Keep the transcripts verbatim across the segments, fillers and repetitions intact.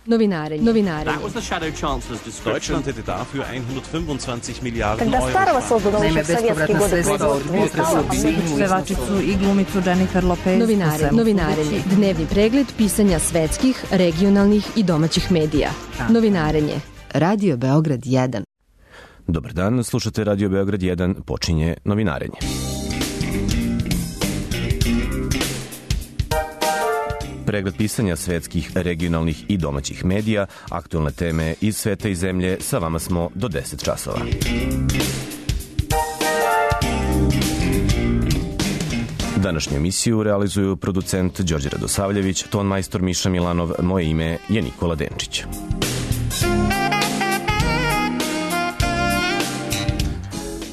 Novinarenje. Novinarenje. Deutschland hätte dafür hundertfünfundzwanzig Milliarden Когда старого создано еще в советские годы производства. Pevačicu i glumicu Jennifer Lopez. Novinarenje. Novinarenje. Dnevni pregled pisanja svetskih, regionalnih i domaćih medija. Novinarenje. Radio Beograd jedan. Dobar dan, slušate Radio Beograd jedan, počinje Novinarenje. Pregled pisanja svetskih, regionalnih i domaćih medija, aktualne teme iz sveta i zemlje, sa vama smo do deset časova. Današnju emisiju realizuju producent Đorđe Radosavljević, ton majstor Miša Milanov, moje ime je Nikola Denčić.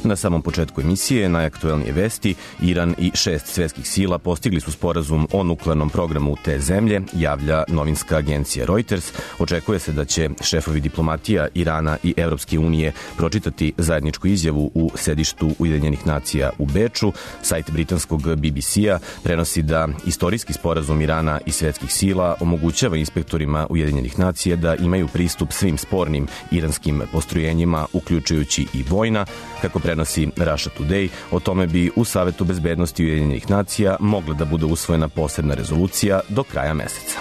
Na samom početku emisije najaktuelnije vesti, Iran i šest svetskih sila postigli su sporazum o nuklearnom programu te zemlje, javlja novinska agencija Reuters. Očekuje se da će šefovi diplomatija Irana i Evropske unije pročitati zajedničku izjavu u sedištu Ujedinjenih nacija u Beču. Sajt britanskog B B C-a prenosi da istorijski sporazum Irana i svetskih sila omogućava inspektorima Ujedinjenih nacija da imaju pristup svim spornim iranskim postrojenjima, uključujući i vojna. Kako prenosi Russia Today, o tome bi u Savetu bezbednosti Ujedinjenih nacija mogla da bude usvojena posebna rezolucija do kraja meseca.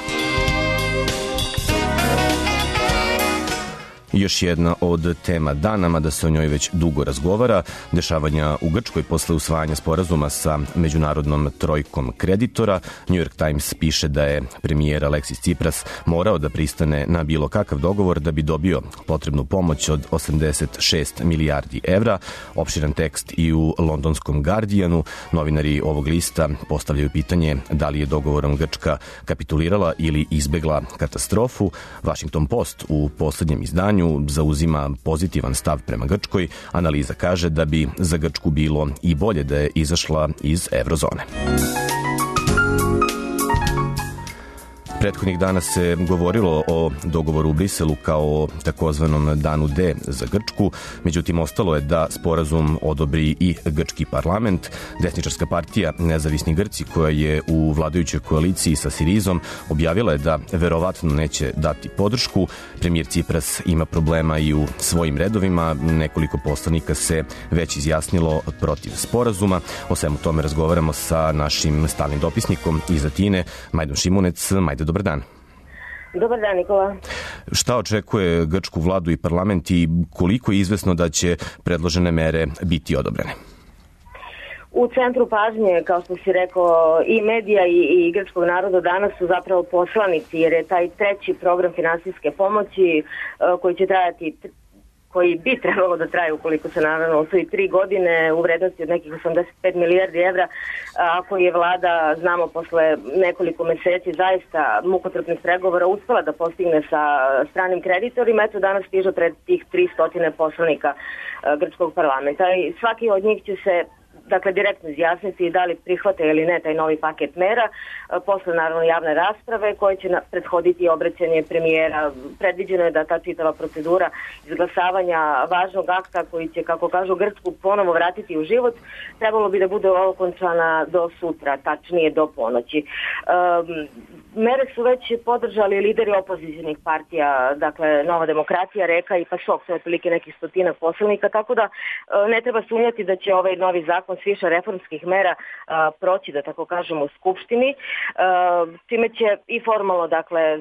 Još jedna od tema dana, mada se o njoj već dugo razgovara, dešavanja u Grčkoj posle usvajanja sporazuma sa međunarodnom trojkom kreditora. New York Times piše da je premijer Aleksis Tsipras morao da pristane na bilo kakav dogovor da bi dobio potrebnu pomoć od osamdeset šest milijardi evra. Opširan tekst i u londonskom Guardianu. Novinari ovog lista postavljaju pitanje da li je dogovorom Grčka kapitulirala ili izbegla katastrofu. Washington Post u poslednjem izdanju zauzima pozitivan stav prema Grčkoj. Analiza kaže da bi za Grčku bilo i bolje da je izašla iz eurozone. Prethodnih dana se govorilo o dogovoru u Briselu kao o takozvanom danu D za Grčku, međutim ostalo je da sporazum odobri i grčki parlament. Desničarska partija Nezavisni Grci, koja je u vladajućoj koaliciji sa Sirizom, objavila je da verovatno neće dati podršku. Premijer Tsipras ima problema i u svojim redovima, nekoliko poslanika se već izjasnilo protiv sporazuma. O svemu tome razgovaramo sa našim stalnim dopisnikom iz Atine, Majdom Šimunec. Majde, dobar dan. Dobar dan, Nikola. Šta očekuje grčku vladu i parlament i koliko je izvesno da će predložene mere biti odobrene? U centru pažnje, kao što si rekao, i medija i, i grčkog naroda danas su zapravo poslanici, jer je taj treći program finansijske pomoći koji će trajati koji bi trebalo da traje ukoliko se naravno osvoji tri godine u vrednosti od nekih osamdeset pet milijardi evra, ako je vlada, znamo, posle nekoliko meseci zaista mukotrpnih pregovora uspela da postigne sa stranim kreditorima, eto danas stiže pred tih tristo poslanika grčkog parlamenta i svaki od njih će se dakle direktno izjasniti da li prihvate ili ne taj novi paket mera, posle naravno javne rasprave koje će prethoditi obraćanje premijera. Predviđeno je da ta čitava procedura izglasavanja važnog akta koji će, kako kažu, Grčku ponovo vratiti u život, trebalo bi da bude okončana do sutra, tačnije do ponoći. Um, mere su već podržali lideri opozicionih partija, dakle Nova demokratija, Reka i PASOK, to je otprilike nekih stotinak poslanika, tako da ne treba sumnjati da će ovaj novi zakon s više reformskih mera a, proći, da tako kažemo, u Skupštini, a, čime će i formalno, dakle,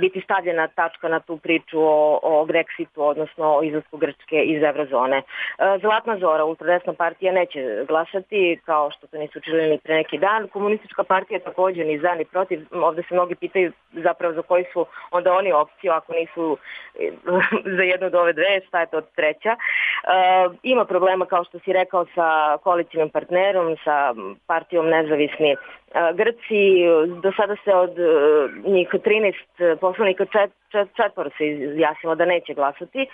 biti stavljena tačka na tu priču o, o Brexitu, odnosno o izlasku Grčke iz eurozone. A, Zlatna Zora, ultradesna partija, neće glasati, kao što to nisu učinili ni pre neki dan. Komunistička partija također ni za ni protiv. Ovde se mnogi pitaju zapravo za koji su onda oni opciju, ako nisu za jednu od ove dve, šta je to treća. A, ima problema, kao što si rekao, sa koalicijnim partnerom, sa partijom Nezavisni Grci. Do sada se od njih trinaest poslanika čet, čet, četvoro se izjasnilo da neće glasati.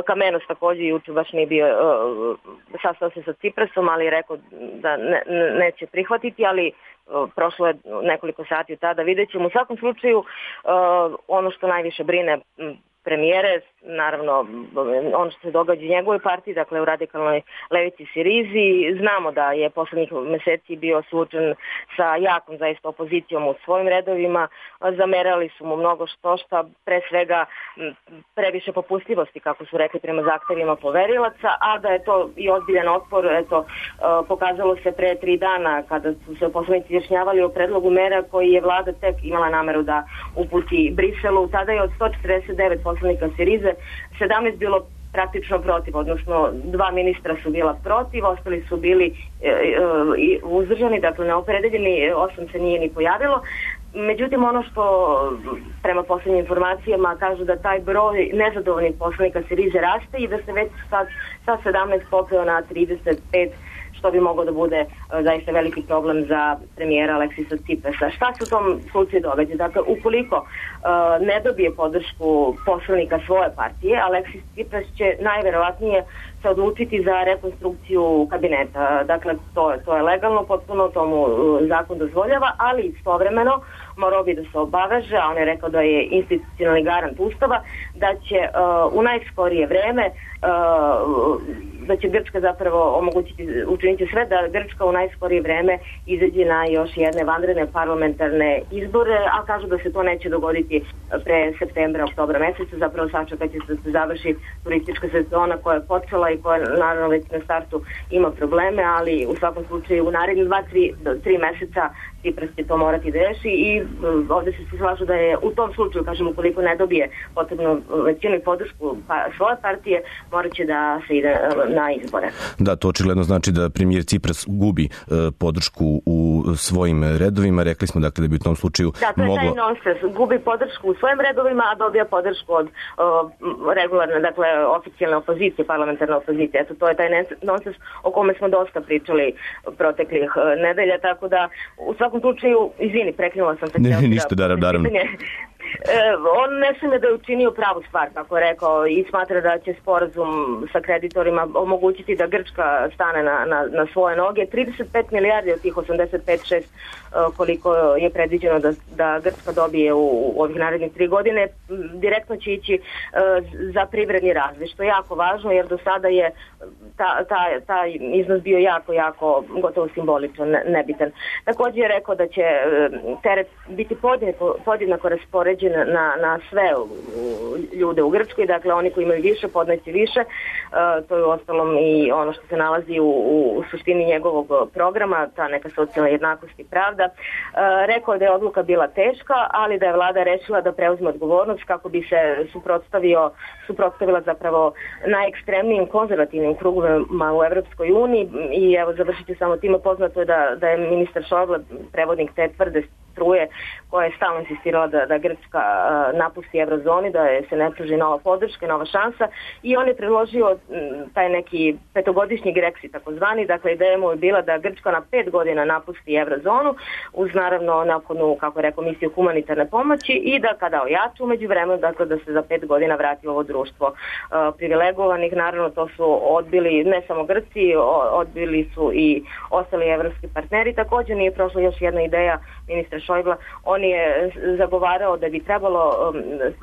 Kamenos također juče baš nije bio, sastao se sa Tsiprasom, ali je rekao da ne, neće prihvatiti, ali prošlo je nekoliko sati od tada, vidjet ćemo. U svakom slučaju, ono što najviše brine premijere, naravno ono što se događa u njegovoj partiji, dakle u radikalnoj levici Sirizi. Znamo da je poslednjih meseci bio suočen sa jakom zaista opozicijom u svojim redovima, zamerali su mu mnogo što šta, pre svega previše popustljivosti, kako su rekli, prema zahtevima poverilaca, a da je to i ozbiljan otpor, eto, pokazalo se pre tri dana kada su se poslanici izjašnjavali o predlogu mera koji je vlada tek imala nameru da uputi Briselu. Tada je od sto četrdeset devet poslanika Sirize sedamnaest bilo praktično protiv, odnosno dva ministra su bila protiv, ostali su bili e, e, uzdržani, dakle neopredeljeni, osam se nije ni pojavilo. Međutim, ono što prema poslednjim informacijama kažu da taj broj nezadovoljnih poslanika Sirize raste i da se već sad sa sedamnaest popeo na trideset pet, što bi moglo da bude zaista veliki problem za premijera Aleksisa Ciprasa. Šta se u tom slučaju događa? Dakle, ukoliko uh, ne dobije podršku poslanika svoje partije, Aleksis Cipras će najverovatnije se odlučiti za rekonstrukciju kabineta. Dakle, to, to je legalno, potpuno tomu uh, zakon dozvoljava, ali istovremeno morao bi da se obaveže, a on je rekao da je institucionalni garant Ustava, da će uh, u najskorije vreme uh, da će Grčka zapravo omogućiti, učiniti sve da Grčka u najskorije vreme izađe na još jedne vanredne parlamentarne izbore, a kažu da se to neće dogoditi pre septembra, oktobra meseca, zapravo sačekat će da se završi turistička sezona koja je počela i koja naravno već na startu ima probleme, ali u svakom slučaju u narednih dva, tri, tri meseca Cipras će to morati da reši i ovde se svi slažu da je u tom slučaju, kažem, ukoliko ne dobije potrebno većinu i podršku pa, svoje partije, morat će da se ide na izbore. Da, to očigledno znači da premijer Cipras gubi e, podršku u svojim redovima. Rekli smo dakle da bi u tom slučaju da, to je moglo... taj nonsens. Gubi podršku u svojim redovima, a dobija podršku od o, regularne, dakle, oficijalne opozicije, parlamentarne opozicije. Eto, to je taj nonsens o kome smo dosta pričali proteklih nedelja, tako da u svakom slučaju, izvini, prekinula sam se. Ne, ne, ništa, daram, daram. E, on ne smije da je učinio pravu stvar, kako je rekao, i smatra da će sporazum sa kreditorima omogućiti da Grčka stane na, na, na svoje noge. trideset pet milijardi od tih osamdeset pet zarez šest koliko je predviđeno da, da Grčka dobije u, u ovih narednih tri godine, direktno će ići uh, za privredni razvoj, što je jako važno, jer do sada je ta, ta, taj iznos bio jako, jako gotovo simbolično, ne, nebitan. Također je rekao da će uh, teret biti podjednako, podjednako raspoređen na, na sve u, u, ljude u Grčkoj, dakle oni koji imaju više podneće više, uh, to je uostalom i ono što se nalazi u, u, u suštini njegovog programa, ta neka socijalna jednakost i pravda. Uh, rekao da je odluka bila teška, ali da je vlada rešila da preuzme odgovornost kako bi se suprotstavio, suprotstavila zapravo najekstremnijim konzervativnim krugovima u Evropskoj uniji i evo završit ću samo time, poznato je da, da je ministar Šojble prevodnik te tvrde struje koja je stalno insistirala da, da Grčka uh, napusti eurozoni, da je se ne pruži nova podrška, nova šansa i on je predložio m, taj neki petogodišnji Grexit takozvani, dakle ideja mu je bila da Grčka na pet godina napusti eurozonu uz naravno nakonu, kako je rekao, misiju humanitarne pomoći i da kada ojača umeđu vremenu, dakle da se za pet godina vrati ovo društvo uh, privilegovanih. Naravno to su odbili ne samo Grci, odbili su i ostali evropski partneri. Također nije prošla još jedna ideja ministra Šojbla, on je zagovarao da bi trebalo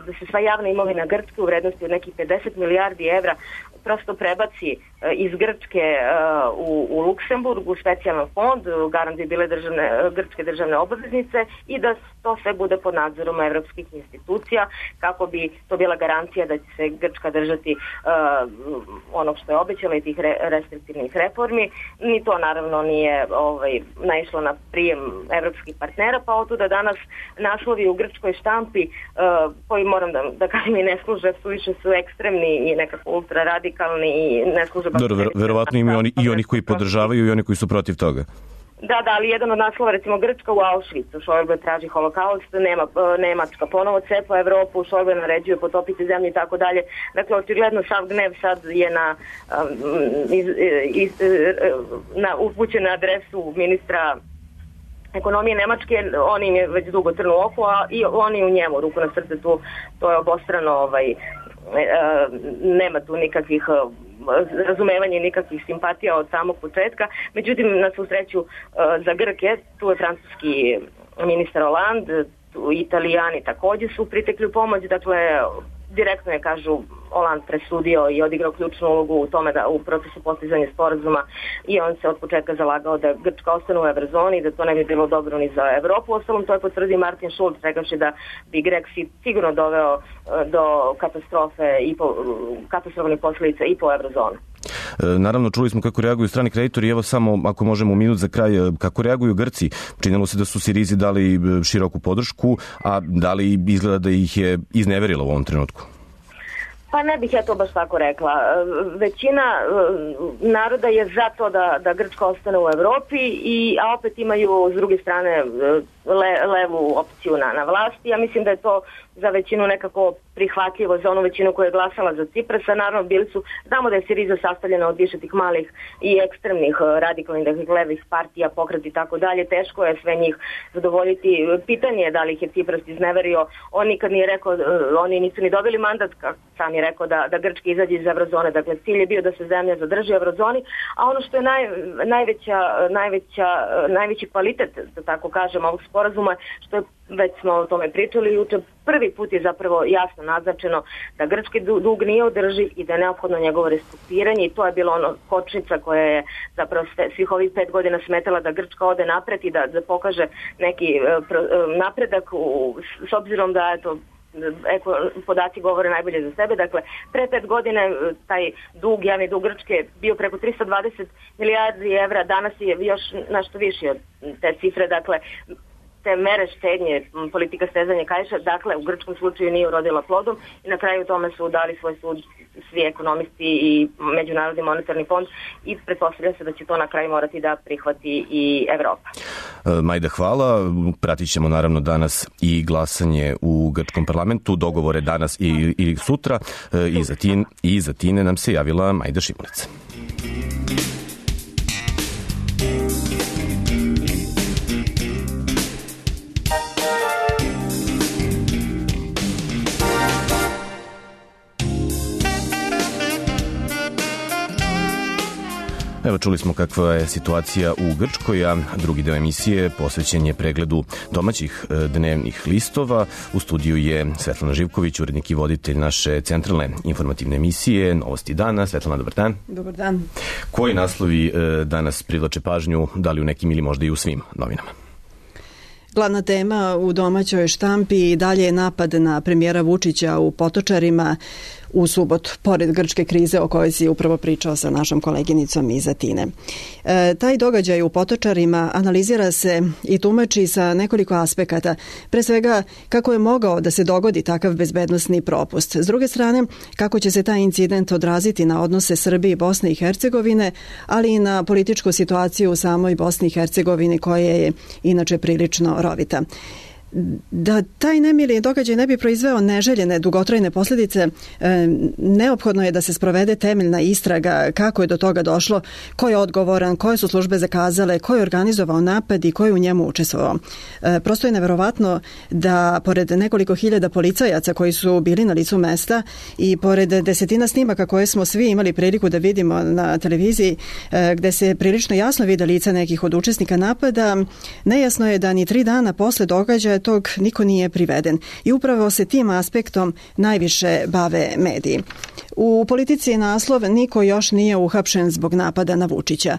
da se sva javna imovina Grčke u vrednosti od nekih pedeset milijardi evra prosto prebaci iz Grčke u, u Luksemburg, u specijalan fond, garant bi bile državne, grčke državne obveznice i da to sve bude pod nadzorom evropskih institucija kako bi to bila garancija da će se Grčka držati uh, onog što je obećala i tih re, restriktivnih reformi. Ni to naravno nije ovaj, naišlo na prijem evropskih partnera, pa otuda danas naslovi u grčkoj štampi uh, koji moram da, da kažem i ne služe, suviše su ekstremni i nekako ultra radikalni i ne služe baš... Dobro, ver, verovatno ima oni, i oni koji podržavaju i oni koji su protiv toga. Da, da, ali jedan od naslova, recimo Grčka u Auschwitzu, Šojble traži holokaust, nema, Nemačka ponovo cepa Evropu, Šojble naređuje potopiti zemlju i tako dalje. Dakle, očigledno sav gnev sad je na, iz, iz, na upućen na adresu ministra ekonomije Nemačke, on im je već dugo crno oko, a i oni u njemu, ruku na srce, tu, to je obostrano, ovaj, nema tu nikakvih razumevanje, nikakvih simpatija od samog početka. Međutim, na svu sreću za Grke, tu je francuski ministar Hollande, tu Italijani također su pritekli u pomoć, dakle direktno je, kažu, Hollande presudio i odigrao ključnu ulogu u tome da u procesu postizanja sporazuma i on se od početka zalagao da Grčka ostane u evrozoni i da to ne bi bilo dobro ni za Evropu. Ostalom, to je potvrdio Martin Schulz, rekavši da bi Grexit sigurno doveo do katastrofe i po, katastrofalnih posljedica i po evrozonu. Naravno, čuli smo kako reaguju strani kreditori. Evo samo, ako možemo minut za kraj, kako reaguju Grci? Činilo se da su Sirizi dali široku podršku, a da li izgleda da ih je izneverila u ovom trenutku? Pa ne bih ja to baš tako rekla. Većina naroda je za to da, da Grčka ostane u Evropi, i, a opet imaju s druge strane le, levu opciju na, na vlasti. Ja mislim da je to za većinu nekako prihvatljivo, za onu većinu koja je glasala za Ciprasa. Naravno, bili su, znamo da je Siriza sastavljena od više tih malih i ekstremnih radikalnih, dakle, levih partija, pokreti i tako dalje. Teško je sve njih zadovoljiti. Pitanje je da li ih je Cipras izneverio. On nikad nije rekao, oni nisu ni dobili mandat, kako sam je rekao, da, da Grčka izađe iz evrozone. Dakle, cilj je bio da se zemlja zadrži u evrozoni, a ono što je naj, najveća, najveća, najveći kvalitet, da tako kažem, ovog sporazuma, što je, već smo o tome pričali juče, prvi put je zapravo jasno naznačeno da grčki dug nije održiv i da je neophodno njegovo restrukturiranje, i to je bilo ono kočnica koja je zapravo svih ovih pet godina smetala da Grčka ode napred i da, da pokaže neki napredak, u, s obzirom da je to Eko, podaci govore najbolje za sebe. Dakle, pre pet godine taj dug, javni dug Grčke bio preko tristo dvadeset milijardi evra, danas je još nešto viši od te cifre. Dakle, te mere štednje, politika stezanja kaiša, dakle, u grčkom slučaju nije urodila plodom, i na kraju tome su dali svoj sud svi ekonomisti i Međunarodni monetarni fond, i pretpostavlja se da će to na kraju morati da prihvati i Evropa. Majda, hvala. Pratit ćemo naravno danas i glasanje u grčkom parlamentu, dogovore danas i, i sutra. I za, tin, I za Tine nam se javila Majda Šimunica. Evo, čuli smo kakva je situacija u Grčkoj, a drugi deo emisije posvećen je pregledu domaćih dnevnih listova. U studiju je Svetlana Živković, urednik i voditelj naše centralne informativne emisije Novosti dana. Svetlana, dobar dan. Dobar dan. Koji naslovi danas privlače pažnju, da li u nekim ili možda i u svim novinama? Glavna tema u domaćoj štampi dalje je napad na premijera Vučića u Potočarima u subotu, pored grčke krize o kojoj si upravo pričao sa našom koleginicom iz Atine. E, taj događaj u Potočarima analizira se i tumači sa nekoliko aspekata. Pre svega, kako je mogao da se dogodi takav bezbednosni propust. S druge strane, kako će se taj incident odraziti na odnose Srbije i Bosne i Hercegovine, ali i na političku situaciju u samoj Bosni i Hercegovini, koja je inače prilično rovita. Da taj nemili događaj ne bi proizveo neželjene dugotrajne posljedice, e, neophodno je da se sprovede temeljna istraga kako je do toga došlo, ko je odgovoran, koje su službe zakazale, ko je organizovao napad i ko je u njemu učestvovao. E, prosto je neverovatno da pored nekoliko hiljada policajaca koji su bili na licu mesta i pored desetina snimaka koje smo svi imali priliku da vidimo na televiziji, e, gde se prilično jasno vide lica nekih od učesnika napada, nejasno je da ni tri dana posle događaja tog niko nije priveden. I upravo se tim aspektom najviše bave mediji. U politici je naslov "Niko još nije uhapšen zbog napada na Vučića".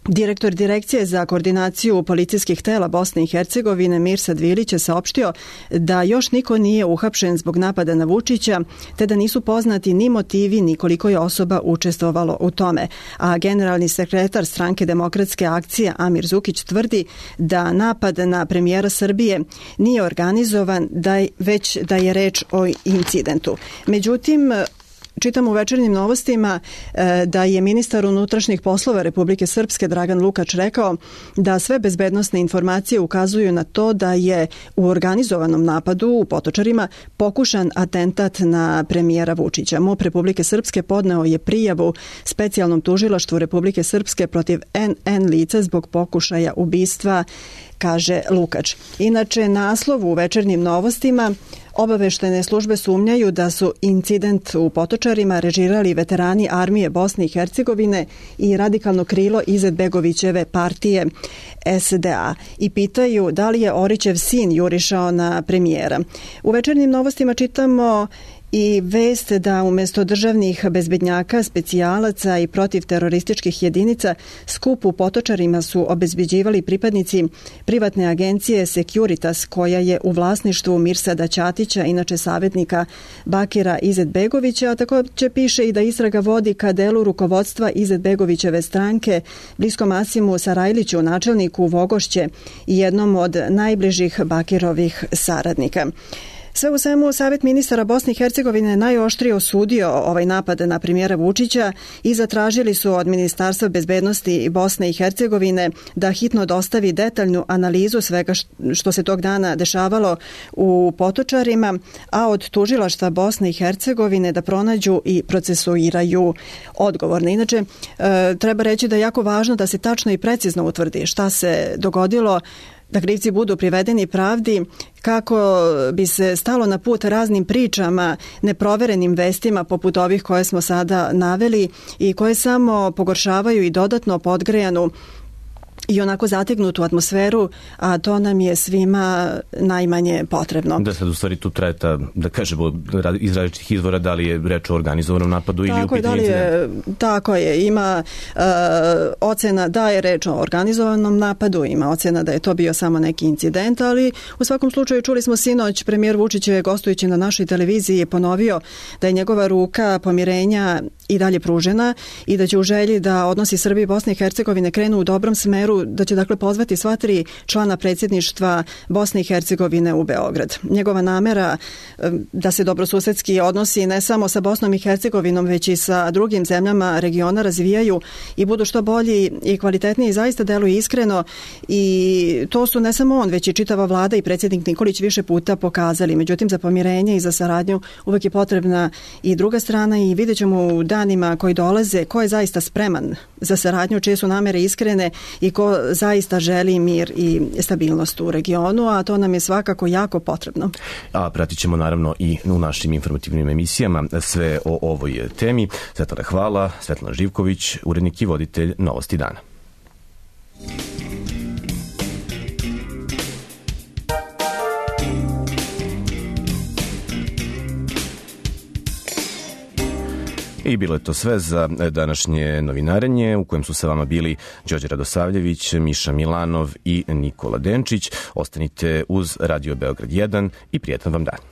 Direktor Direkcije za koordinaciju policijskih tela Bosne i Hercegovine Mirsad Vilić je saopštio da još niko nije uhapšen zbog napada na Vučića, te da nisu poznati ni motivi ni koliko je osoba učestvovalo u tome. A generalni sekretar Stranke demokratske akcije Amir Zukić tvrdi da napad na premijera Srbije nije organizovan, da je, već da je reč o incidentu. Međutim, čitam u Večernjim novostima da je ministar unutrašnjih poslova Republike Srpske Dragan Lukač rekao da sve bezbednosne informacije ukazuju na to da je u organizovanom napadu u Potočarima pokušan atentat na premijera Vučića. MUP Republike Srpske podneo je prijavu specijalnom tužilaštvu Republike Srpske protiv en en lica zbog pokušaja ubistva, kaže Lukač. Inače, naslov u Večernjim novostima: Obaveštene službe sumnjaju da su incident u Potočarima režirali veterani armije Bosne i Hercegovine i radikalno krilo Izetbegovićeve partije es de a i pitaju da li je Orićev sin jurišao na premijera. U Večernjim novostima čitamo i vest da umesto državnih bezbednjaka, specijalaca i protivterorističkih jedinica skup u Potočarima su obezbeđivali pripadnici privatne agencije Securitas, koja je u vlasništvu Mirsada Ćatića, inače savjetnika Bakira Izetbegovića, a takođe piše i da istraga vodi ka delu rukovodstva Izetbegovićeve stranke, bliskom Asimu Sarajliću, načelniku Vogošće i jednom od najbližih Bakirovih saradnika. Sve u svemu, Savet ministara Bosne i Hercegovine najoštrije osudio ovaj napad na premijera Vučića i zatražili su od Ministarstva bezbednosti Bosne i Hercegovine da hitno dostavi detaljnu analizu svega što se tog dana dešavalo u Potočarima, a od tužilaštva Bosne i Hercegovine da pronađu i procesuiraju odgovorne. Inače, treba reći da je jako važno da se tačno i precizno utvrdi šta se dogodilo, da krivci budu privedeni pravdi, kako bi se stalo na put raznim pričama, neproverenim vestima poput ovih koje smo sada naveli i koje samo pogoršavaju i dodatno podgrejanu i onako zategnutu atmosferu, a to nam je svima najmanje potrebno. Da sad u stvari tu traje ta, da kažemo, iz različitih izvora da li je reč o organizovanom napadu ili u pitanju incident? Tako je, ima uh, ocena da je reč o organizovanom napadu, ima ocena da je to bio samo neki incident, ali u svakom slučaju čuli smo sinoć, premijer Vučić je gostujući na našoj televiziji je ponovio da je njegova ruka pomirenja i dalje pružena i da će u želji da odnosi Srbije i Bosne i Hercegovine krenu u dobrom smeru, da će dakle pozvati sva tri člana predsjedništva Bosne i Hercegovine u Beograd. Njegova namera da se dobrosusedski odnosi ne samo sa Bosnom i Hercegovinom, već i sa drugim zemljama regiona razvijaju i budu što bolji i kvalitetniji, zaista deluje iskreno i to su ne samo on, već i čitava vlada i predsjednik Nikolić više puta pokazali. Međutim, za pomirenje i za saradnju uvek je potrebna i druga strana i vidjet ćemo u danima koji dolaze ko je zaista spreman za saradnju, čije su namere iskrene i ko zaista želi mir i stabilnost u regionu, a to nam je svakako jako potrebno. A pratit ćemo naravno i u našim informativnim emisijama sve o ovoj temi. Svetlana hvala, Svetlana Živković, urednik i voditelj Novosti dana. I bilo je to sve za današnje novinarenje u kojem su sa vama bili Đorđe Radosavljević, Miša Milanov i Nikola Denčić. Ostanite uz Radio Beograd jedan i prijetan vam dan.